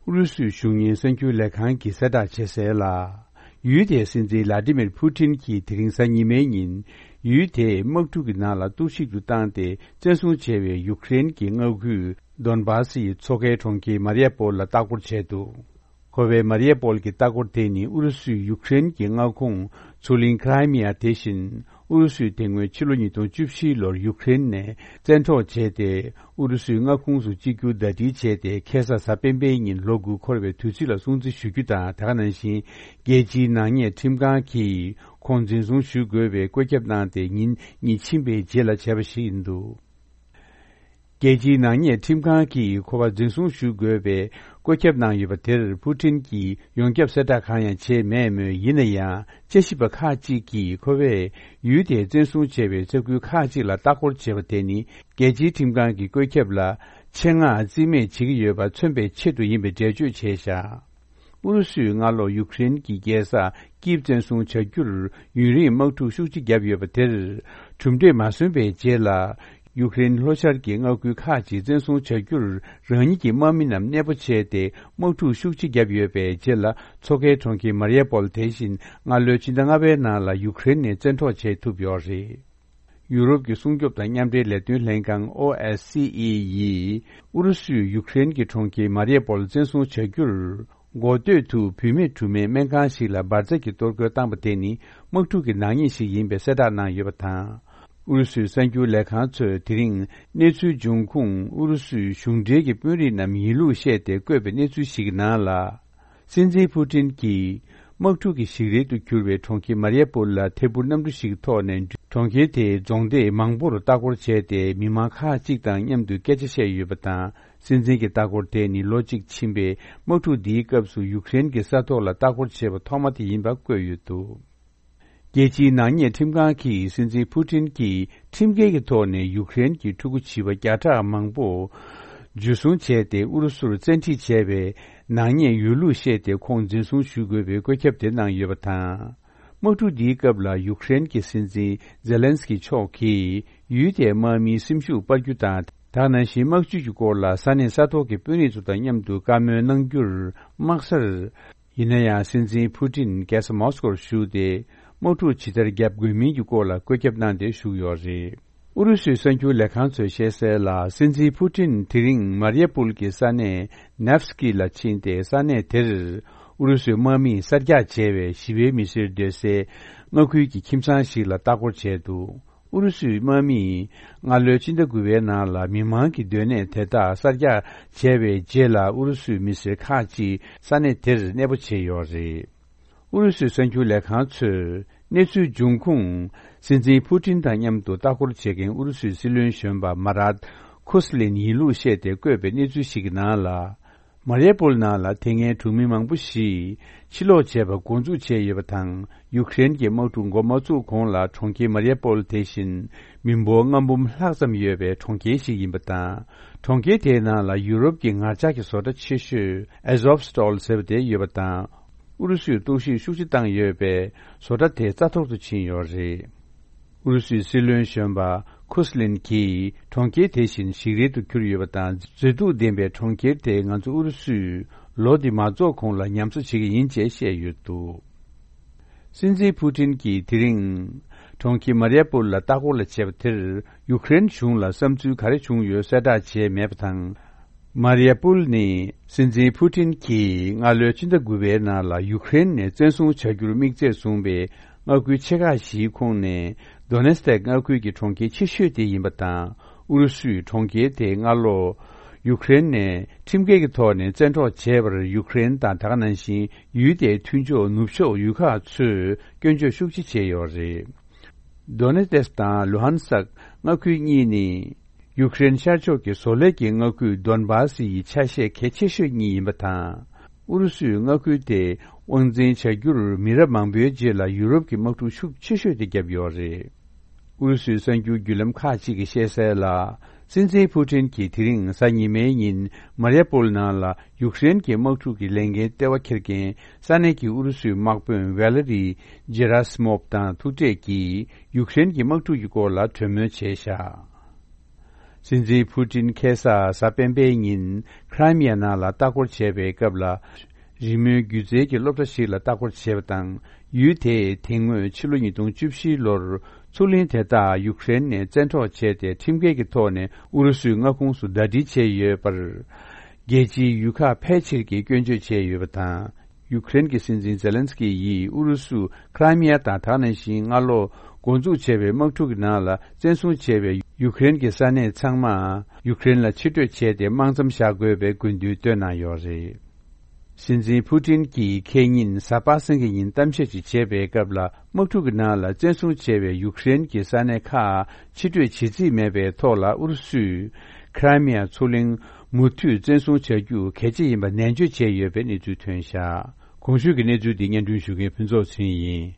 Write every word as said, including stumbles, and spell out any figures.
ཨུ་རུ་སུའི་གཞུང་གཉེར་གསར་འགྱུར་ལས་ཁང་གིས་གསལ་བསྒྲགས་བྱས་གསལ་ལ། ཡུལ་དེའི་སྲིད་འཛིན་ལ་ཏི་མིར་ཕུ་ཏིན་གྱིས་དེ་རིང་གཟའ་ཉི་མའི་ཉིན། ཡུལ་དེའི་དམག་འཁྲུག་གི་ནང་ལ་གཏོར་བཤིག་ཏུ་བཏང་སྟེ་བཙན་བཟུང་བྱས་པའི་ཡུཀ་རེན་གྱི་མངའ་ཁུལ་དོན་བཱ་སི་ཡི་མཚོ་ཁའི་གྲོང་ཁྱེར་མ་རི་ཡ་པོལ་ལ་ལྟ་སྐོར་བྱས་འདུག་ཁོ་པའི་མ་རི་ཡ་པོལ་གྱི་ལྟ་སྐོར་དེ་ནི་ཨུ་རུ་སུས་ཡུཀ་རེན་གྱི་མངའ་ཁོངས་མཚོ་གླིང་ཁི་རའི་མི་ཡ་དེ་བཞིན། ཨུ་རུ་སུས་དེ་སྔོན་ཕྱི་ལོ་ཉིས་སྟོང་བཅུ་བཞི་ལོར་ཡུཀ་རེན་ནས་བཙན་འཕྲོག་བྱས་ཏེ། ཨུ་རུ་སུའི་མངའ་ཁོངས་སུ་གཅིག་གྱུར་ཟླ་སྒྲིལ་བྱས་ཏེ། ཁ་སང་གཟའ་སྤེན་པའི་ཉིན་ལོ་དགུ་འཁོར་བའི་དུས་ཚིགས་ལ་སྲུང་བརྩི་ཞུ་རྒྱུ་དང་། དེ་ག་ནང་བཞིན། རྒྱལ་སྤྱིའི་ནག་ཉེས་ཁྲིམས་ཁང་གིས་ཁོང་འཛིན་བཟུང་ཞུ་དགོས་པའི་བཀོད་ཁྱབ་གནང་སྟེ། ཉིན་གཉིས་ཕྱིན་པའི་རྗེས་ལ་བྱས་པ་ཞིག་ཡིན་འདུག་རྒྱལ་སྤྱིའི་ནག་ཉེས་ཁྲིམས་ཁང་གིས་ཁོ་པ་འཛིན་བཟུང་ཞུ་དགོས་པའི་བཀོད་ཁྱབ་གནང་ཡོད་པ་དེར། ཕུ་ཏིན་གྱིས་ཡོངས་ཁྱབ་གསལ་བསྒྲགས་གང་ཡང་བྱས་མེད་མོད། ཡིན་ན་ཡང་། དཔྱད་ཞིབ་པ་ཁག་ཅིག་གིས་ཁོ་པས་ཡུལ་དེའི་བཙན་བཟུང་བྱས་པའི་ས་ཁུལ་ཁག་ཅིག་ལ་ལྟ་སྐོར་བྱས་པ་དེ་ནི། རྒྱལ་སྤྱིའི་ཁྲིམས་ཁང་གི་བཀོད་ཁྱབ་ལ་ཆེད་མངགས་རྩིས་མེད་བྱེད་ཀྱི་ཡོད་པ་མཚོན་པའི་ཆེད་དུ་ཡིན་པའི་འགྲེལ་བརྗོད་བྱས་བཞག་ཨུ་རུ་སུས་སྔ་ལོ་ཡུཀ་རེན་གྱི་རྒྱལ་ས་ཀིབ་བཙན་བཟུང་བྱ་རྒྱུར་ཡུན་རིང་དམག་འཁྲུག་ཤུགས་ཆེ་བརྒྱབ་ཡོད་པ་དེར། གྲུབ་འབྲས་མ་སོན་པའི་རྗེས་ལ། ཡུཀ་རེན་ལྷོ་ཤར་གྱི་མངའ་ཁུལ་ཁག་ཅིག་བཙན་བཟུང་བྱ་རྒྱུར་རང་ཉིད་ཀྱི་དམག་མི་རྣམས་གནས་སྤོ་བྱས་ཏེ། དམག་འཁྲུག་ཤུགས་ཆེ་བརྒྱབ་ཡོད་པའི་རྗེས་ལ། མཚོ་ཁའི་གྲོང་ཁྱེར་མ་རི་ཡ་པོལ་དེ་བཞིན་སྔ་ལོའི་ཕྱི་ཟླ་ལྔ་པའི་ནང་ལ་ཡུཀ་རེན་ནས་བཙན་འཕྲོག་བྱས་ཐུབ་ཡོད་རེད། ཡུ་རོབ་ཀྱི་སྲུང་སྐྱོབ་དང་མཉམ་འབྲེལ་ལས་དོན་ལྷན་ཁང་། ཨོ་ཨེ་སི་ཨི་ཡིས་ཨུ་རུ་སུས་ཡུཀ་རེན་གྱི་གྲོང་ཁྱེར་མ་རི་ཡ་པོལ་བཙན་བཟུང་བྱ་རྒྱུར། འགོ་སྟོད་དུ་བུད་མེད་གྲུབ་མའི་སྨན་ཁང་ཞིག་ལ་འབར་རྫས་ཀྱི་གཏོར་རྒོལ་བཏང་པ་དེ་ནི་དམག་འཁྲུག་གི་ནག་ཉེས་ཤིག་ཡིན་པའི་གསལ་བསྒྲགས་གནང་ཡོད་པ་དང་། ཨུ་རུ་སུའི་གསར་འགྱུར་ལས་ཁང་ཚོས་དེ་རིང་གནས་ཚུལ་འབྱུང་ཁུངས་ཨུ་རུ་སུའི་གཞུང་འབྲེལ་གྱི་དཔོན་རིགས་རྣམས་ཡིན་ལུགས་བཤད་དེ་བཀོད་པའི་གནས་ཚུལ་ཞིག་གི་ནང་ལ། སྲིད་འཛིན་ཕུ་ཏིན་གྱིས་དམག་འཁྲུག་གི་ཞིག་རལ་དུ་གྱུར་བའི་གྲོང་ཁྱེར་མ་རི་ཡ་པོལ་ལ་ཐད་འཕུར་གནམ་གྲུ་ཞིག་ཐོག་ནས། གྲོང་ཁྱེར་དེའི་རྫོང་སྡེ་མང་པོར་ལྟ་སྐོར་བྱས་ཏེ། མི་མང་ཁག་ཅིག་དང་མཉམ་དུ་སྐད་ཆ་བཤད་ཡོད་པ་དང་། སྲིད་འཛིན་གྱི་ལྟ་སྐོར་དེ་ནི་ལོ་གཅིག་ཕྱིན་པའི་དམག་འཁྲུག་འདིའི་སྐབས་སུ་ཡུཀ་རེན་གྱི་ས་ཐོག་ལ་ལྟ་སྐོར་བྱས་པ་ཐོག་མ་དེ་ཡིན་པ་བཀོད་ཡོད་འདུག་རྒྱལ་སྤྱིའི་ནག་ཉེས་ཁྲིམས་ཁང་གིས་སྲིད་འཛིན་ཕུ་ཏིན་གྱིས་ཁྲིམས་འགལ་གྱི་ཐོག་ནས་ཡུཀ་རེན་གྱི་ཕྲུ་གུ་བྱིས་པ་བརྒྱ་ཕྲག་མང་པོ་འཇུ་བཟུང་བྱས་ཏེ། ཨུ་རུ་སུར་བཙན་ཁྲིད་བྱས་པའི་ནག་ཉེས་ཡོད་ལུགས་བཤད་དེ། ཁོང་འཛིན་བཟུང་ཞུ་དགོས་པའི་བཀོད་ཁྱབ་དེ་གནང་ཡོད་པ་དང་། དམག་འཁྲུག་འདིའི་སྐབས་ལ་ཡུཀ་རེན་གྱི་སྲིད་འཛིན་ཛེ་ལན་སི་ཀི་མཆོག་གིས་ཡུལ་དེའི་དམག་མིའི་སེམས་ཤུགས་སྤར་རྒྱུ་དང་། དེ་ག་ནང་བཞིན་དམག་ཇུས་ཀྱི་སྐོར་ལ་ས་གནས་ས་ཐོག་གི་དཔོན་རིགས་ཚོ་དང་མཉམ་དུ་བཀའ་མོལ་གནང་རྒྱུར་དམག་སར། ཡིན་ན་ཡང་། སྲིད་འཛིན་ཕུ་ཏིན་རྒྱལ་ས་མོ་སི་ཀོར་བཞུགས་ཏེ། དམག་འཁྲུག་ཇི་ལྟར་བརྒྱབ་དགོས་མིན་གྱི་སྐོར་ལ་བཀོད་ཁྱབ་གནང་སྟེ་བཞུགས་ཡོད་རེད། ཨུ་རུ་སུའི་གསར་འགྱུར་ལས་ཁང་ཚོས་བཤད་གསལ་ལ། སྲིད་འཛིན་ཕུ་ཏིན་དེ་རིང་མ་རི་ཡ་པུལ་གྱི་ས་གནས་ནེབ་སི་ཀི་ལ་ཕྱིན་ཏེ། ས་གནས་དེར་ཨུ་རུ་སུའི་དམག་མིས་གསར་རྒྱག་བྱས་པའི་ཞི་བའི་མི་སེར་སྡོད་སའི་མངའ་ཁུལ་གྱི་ཁྱིམ་ཚང་ཞིག་ལ་ལྟ་སྐོར་བྱས་འདུག་ཨུ་རུ་སུའི་དམག་མིས་སྔ་ལོའི་ཕྱི་ཟླ་དགུ་པའི་ནང་ལ་མི་མང་གི་སྡོད་གནས་དེ་དག་གསར་རྒྱག་བྱས་པའི་རྗེས་ལ། ཨུ་རུ་སུའི་མི་སེར་ཁག་ཅིག་ས་གནས་དེར་གནས་སྤོ་བྱས་ཡོད་རེད། ཨུ་རུ་སུའི་གསར་འགྱུར་ལས་ཁང་ཚོས་གནས་ཚུལ་འབྱུང་ཁུངས། སྲིད་འཛིན་ཕུ་ཏིན་དང་མཉམ་དུ་ལྟ་སྐོར་བྱེད་མཁན་ཨུ་རུ་སུའི་སྲིད་བློན་གཞོན་པ་མ་རཱད་ཁུ་སི་ལིན་ཡིན་ལུགས་བཤད་དེ་བཀོད་པའི་གནས་ཚུལ་ཞིག་གི་ནང་ལ། མ་རི་ཡ་པོལ་ནང་ལ་དེ་སྔའི་གྲོང་མི་མང་པོ་ཞིག་ཕྱིར་ལོག་བྱས་པ་འགོ་འཛུགས་བྱས་ཡོད་པ་དང་། ཡུཀ་རེན་གྱི་དམག་འཁྲུག་འགོ་མ་བཙུགས་གོང་ལ། གྲོང་ཁྱེར་མ་རི་ཡ་པོལ་དེ་བཞིན་མི་འབོར་ལྔ་འབུམ་ལྷག་ཙམ་ཡོད་པའི་གྲོང་ཁྱེར་ཞིག་ཡིན་པ་དང་། གྲོང་ཁྱེར་དེའི་ནང་ལ་ཡུ་རོབ་ཀྱི་ངར་ལྕགས་ཀྱི་བཟོ་གྲྭ་ཆེ་ཤོས་ཨེ་ཟོབ་སི་ཏོལ་ཟེར་བ་དེ་ཡོད་པ་དང་། ཨུ་རུ་སུས་གཏོར་བཤིག་ཤུགས་ཆེ་བཏང་ཡོད་པས། བཟོ་གྲྭ་དེ་རྩ་འཐོར་དུ་ཕྱིན་ཡོད་རེད། ཨུ་རུ་སུའི་སྲིད་བློན་གཞོན་པ་ཁུ་སི་ལིན་གྱིས། གྲོང་ཁྱེར་དེ་བཞིན་ཞིག་རལ་དུ་གྱུར་ཡོད་པ་དང་། མཛེས་སྡུག་ལྡན་པའི་གྲོང་ཁྱེར་དེ་ང་ཚོ་ཨུ་རུ་སུས་ལོ་འདི་མ་རྫོགས་གོང་ལ་ཉམས་གསོ་བྱེད་ཀྱི་ཡིན་ཅེས་བཤད་ཡོད་འདུག་སྲིད་འཛིན་ཕུ་ཏིན་གྱིས་དེ་རིང་གྲོང་ཁྱེར་མ་རི་ཡ་པུལ་ལ་ལྟ་སྐོར་ལ་བྱས་པ་དེར། ཡུཀ་རེན་གཞུང་ལ་བསམ་ཚུལ་ག་རེ་བྱུང་ཡོད་གསལ་བསྒྲགས་བྱས་མེད་པ་དང་། མ་རི་ཡ་པུལ་ནི་སྲིད་འཛིན་ཕུ་ཏིན་གྱིས་སྔ་ལོའི་ཕྱི་ཟླ་དགུ་པའི་ནང་ལ་ཡུཀ་རེན་ནས་བཙན་བཟུང་བྱ་རྒྱུར་དམིགས་ཚད་བཟུང་བའི་མངའ་ཁུལ་ཆེ་ཁག་བཞིའི་ཁོངས་ནས། དོ་ནེ་སི་ཐེག་མངའ་ཁུལ་གྱི་གྲོང་ཁྱེར་ཆེ་ཤོས་དེ་ཡིན་པ་དང་། ཨུ་རུ་སུས་གྲོང་ཁྱེར་དེ་སྔ་ལོ་ཡུཀ་རེན་ནས་ཁྲིམས་འགལ་གྱི་ཐོག་ནས་བཙན་འཕྲོག་བྱས་པར། ཡུཀ་རེན་དང་དེ་ག་ནང་བཞིན་ཡུལ་དེའི་མཐུན་ཕྱོགས་ནུབ་ཕྱོགས་ཡུལ་ཁག་ཚོས་སྐྱོན་བརྗོད་ཤུགས་ཆེ་བྱས་ཡོད་རེད། དོ་ནེ་སི་དང་ལུ་ཧན་སག་མངའ་ཁུལ་གཉིས་ནི། ཡུཀ་རེན་ཤར་ཕྱོགས་ཀྱི་བཟོ་ལས་ཀྱི་མངའ་ཁུལ་དོན་བཱ་སི་ཡི་ཆ་ཤས་གལ་ཆེ་ཤོས་གཉིས་ཡིན་པ་དང་། ཨུ་རུ་སུས་མངའ་ཁུལ་དེ་དབང་འཛིན་བྱ་རྒྱུར་མི་རབས་མང་པོའི་རྗེས་ལ་ཡུ་རོབ་ཀྱི་དམག་འཁྲུག་ཤུགས་ཆེ་ཤོས་དེ་བརྒྱབ་ཡོད་རེད། ཨུ་རུ་སུའི་གསར་འགྱུར་བརྒྱུད་ལམ་ཁག་ཅིག་གིས་བཤད་གསལ་ལ། སྲིད་འཛིན་ཕུ་ཏིན་གྱིས་དེ་རིང་གཟའ་ཉི་མའི་ཉིན་མ་རི་ཡ་པོལ་ནང་ལ་ཡུཀ་རེན་གྱི་དམག་འཁྲུག་གི་ལས་འགན་ལྟེ་བ་འཁྱེར་མཁན་ས་གནས་ཀྱི་ཨུ་རུ་སུའི་དམག་དཔོན་ཝེ་ལེ་རི་ཇེ་ར་སི་མོབ་དང་ཐུག་འཕྲད་ཀྱིས་ཡུཀ་རེན་གྱི་དམག་འཁྲུག་གི་སྐོར་ལ་གྲོས་མོལ་བྱས་བཞག་སྲིད་འཛིན་ཕུ་ཏིན་ཁ་སང་གཟའ་སྤེན་པའི་ཉིན་ཁྲའི་མི་ཡ་ནང་ལ་ལྟ་སྐོར་བྱས་པའི་སྐབས་ལ། རི་མོའི་སྒྱུ་རྩལ་གྱི་སློབ་གྲྭ་ཞིག་ལ་ལྟ་སྐོར་བྱས་པ་དང་། ཡུལ་དེས་དེ་སྔོན་ཕྱི་ལོ་ཉིས་སྟོང་བཅུ་བཞི་ལོར་མཚོ་གླིང་དེ་དག་ཡུཀ་རེན་ནས་བཙན་འཕྲོག་བྱས་ཏེ། ཁྲིམས་འགལ་གྱི་ཐོག་ནས་ཨུ་རུ་སུའི་མངའ་ཁོངས་སུ་ཟླ་སྒྲིལ་བྱས་ཡོད་པར། རྒྱལ་སྤྱིའི་ཡུལ་ཁག་ཕལ་ཆེར་གྱིས་སྐྱོན་བརྗོད་བྱས་ཡོད་པ་དང་། ཡུཀ་རེན་གྱི་སྲིད་འཛིན་ཛེ་ལན་སི་ཀི་ཡིས་ཨུ་རུ་སུ་ཁྲའི་མི་ཡ་དང་། ད་ག་ནང་བཞིན་སྔ་ལོ་འགོ་འཛུགས་བྱས་པའི་དམག་འཁྲུག་གི་ནང་ལ་བཙན་བཟུང་བྱས་པའི་ཡུཀ་རེན་གྱི་ས་གནས་ཚང་མ་ཡུཀ་རེན་ལ་ཕྱིར་སྤྲོད་བྱས་ཏེ། དམག་མཚམས་བཞག་དགོས་པའི་དགོས་འདུན་བཏོན་གནང་ཡོད་རེད། སྲིད་འཛིན་ཕུ་ཏིན་གྱིས་ཁེ་ཉིན་གཟའ་པ་སངས་ཀྱི་ཉིན་གཏམ་བཤད་ཅིག་བྱས་པའི་སྐབས་ལ། དམག་འཁྲུག་གི་ནང་ལ་བཙན་བཟུང་བྱས་པའི་ཡུཀ་རེན་གྱི་ས་གནས་ཁག་ཕྱིར་སྤྲོད་བྱེད་རྩིས་མེད་པའི་ཐོག་ལ། ཨུ་རུ་སུས་ཁྲའི་མི་ཡ་མཚོ་གླིང་མུ་མཐུད་བཙན་བཟུང་བྱ་རྒྱུ་གལ་ཆེ་ཡིན་པ་ནན་བརྗོད་བྱས་ཡོད་པའི་གནས་ཚུལ་ཐོན་བཞག་གོང་ཞུས་ཀྱི་གནས་ཚུལ་འདི་སྙན་སྒྲོན་ཞུ་མཁན་ཕུན་ཚོགས་ཚེ་རིང་ཡིན།